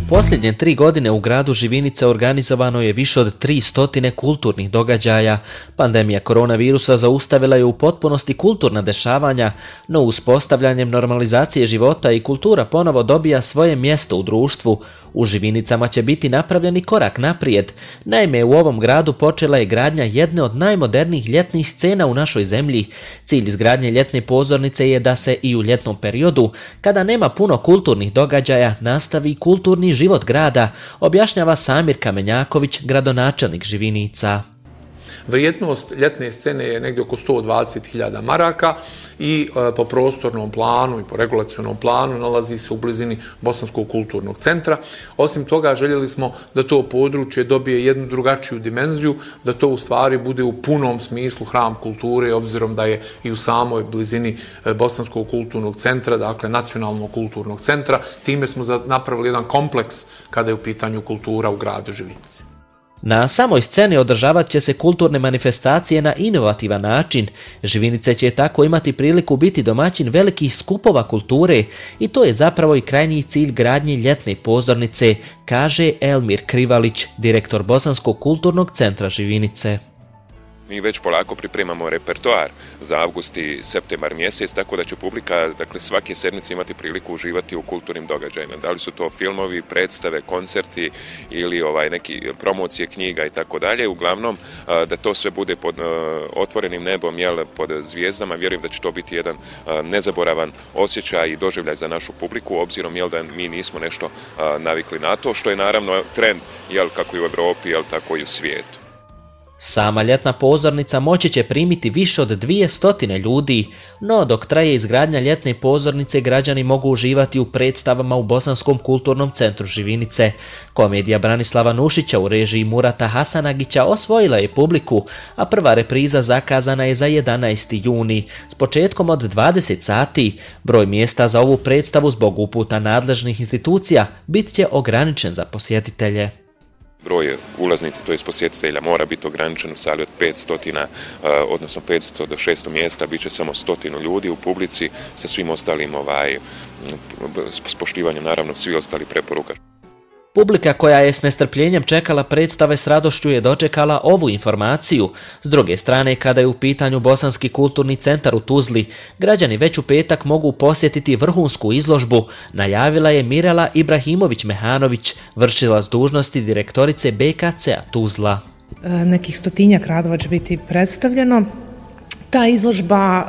posljednje 3 godine u gradu Živinica organizovano je više od 300 kulturnih događaja. Pandemija koronavirusa zaustavila je u potpunosti kulturna dešavanja, no uspostavljanjem normalizacije života i kultura ponovo dobija svoje mjesto u društvu. U Živinicama će biti napravljeni korak naprijed. Naime, u ovom gradu počela je gradnja jedne od najmodernijih ljetnih scena u našoj zemlji. Cilj izgradnje ljetne pozornice je da se i u ljetnom periodu, kada nema puno kulturnih događaja, nastavi kulturni život grada, objašnjava Samir Kamenjaković, gradonačelnik Živinica. Vrijednost ljetne scene je negdje oko 120.000 maraka i po prostornom planu i po regulacionom planu nalazi se u blizini Bosanskog kulturnog centra. Osim toga, željeli smo da to područje dobije jednu drugačiju dimenziju, da to u stvari bude u punom smislu hram kulture, obzirom da je i u samoj blizini Bosanskog kulturnog centra, dakle nacionalnog kulturnog centra. Time smo napravili jedan kompleks kada je u pitanju kultura u gradu Živinici. Na samoj sceni održavat će se kulturne manifestacije na inovativan način. Živinice će tako imati priliku biti domaćin velikih skupova kulture i to je zapravo i krajnji cilj gradnje ljetne pozornice, kaže Elmir Krivalić, direktor Bosanskog kulturnog centra Živinice. Mi već polako pripremamo repertoar za avgust i septembar mjesec, tako da će publika, dakle, svake sedmice imati priliku uživati u kulturnim događajima. Da li su to filmovi, predstave, koncerti ili neki promocije knjiga i tako dalje. Uglavnom, da to sve bude pod otvorenim nebom, pod zvijezdama. Vjerujem da će to biti jedan nezaboravan osjećaj i doživljaj za našu publiku, obzirom da mi nismo nešto navikli na to, što je naravno trend kako i u Europi, tako i u svijetu. Sama ljetna pozornica moći će primiti više od 200 ljudi, no dok traje izgradnja ljetne pozornice građani mogu uživati u predstavama u Bosanskom kulturnom centru Živinice. Komedija Branislava Nušića u režiji Murata Hasanagića osvojila je publiku, a prva repriza zakazana je za 11. juni, s početkom od 20 sati. Broj mjesta za ovu predstavu zbog uputa nadležnih institucija bit će ograničen za posjetitelje. Broj ulaznica, to je posjetitelja, mora biti ograničen u sali od 500, odnosno 500 do 600 mjesta, bit će samo 100 ljudi u publici sa svim ostalim s poštivanjem naravno svi ostali preporuka. Publika koja je s nestrpljenjem čekala predstave s radošću je dočekala ovu informaciju. S druge strane, kada je u pitanju Bosanski kulturni centar u Tuzli, građani već u petak mogu posjetiti vrhunsku izložbu, najavila je Mirela Ibrahimović-Mehanović, vršilac dužnosti direktorice BKC-a Tuzla. Nekih 100-tinjak radova će biti predstavljeno. Ta izložba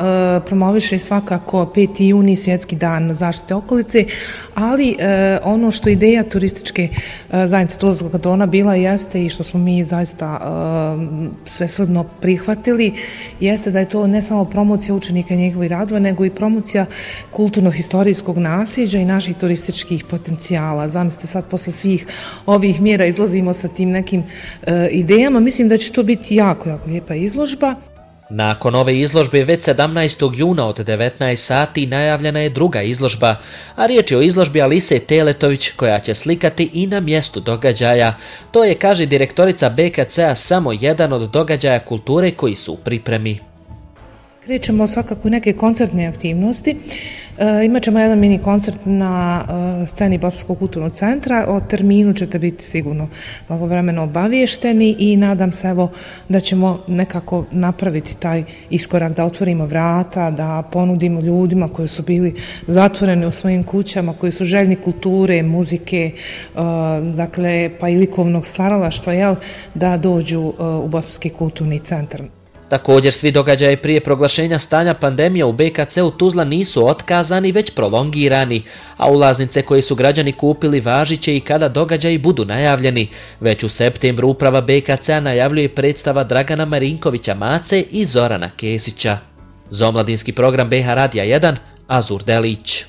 promoviše svakako 5. juni, svjetski dan zaštite okolice, ali ono što ideja turističke zajednice Tuzlanskog kantona bila jeste i što smo mi zaista svesrdno prihvatili, jeste da je to ne samo promocija učenika i njegovih radova, nego i promocija kulturno-historijskog nasljeđa i naših turističkih potencijala. Zamislite, sad posle svih ovih mjera izlazimo sa tim nekim idejama. Mislim da će to biti jako, jako lijepa izložba. Nakon ove izložbe već 17. juna od 19 sati najavljena je druga izložba, a riječ je o izložbi Alise Teletović koja će slikati i na mjestu događaja. To je, kaže direktorica BKC-a, samo jedan od događaja kulture koji su u pripremi. Krećemo svakako neke koncertne aktivnosti. Imat ćemo jedan mini koncert na sceni Bosanskog kulturnog centra. O terminu ćete biti sigurno blagovremeno obaviješteni i nadam se da ćemo nekako napraviti taj iskorak, da otvorimo vrata, da ponudimo ljudima koji su bili zatvoreni u svojim kućama, koji su željni kulture, muzike, dakle pa i likovnog stvaralaštva, da dođu u Bosanski kulturni centar. Također, svi događaji prije proglašenja stanja pandemije u BKC-u Tuzla nisu otkazani, već prolongirani, a ulaznice koje su građani kupili važit će i kada događaji budu najavljeni. Već u septembru uprava BKC-a najavljuje predstava Dragana Marinkovića Mace i Zorana Kesića. Za omladinski program BH Radija 1, Azur Delić.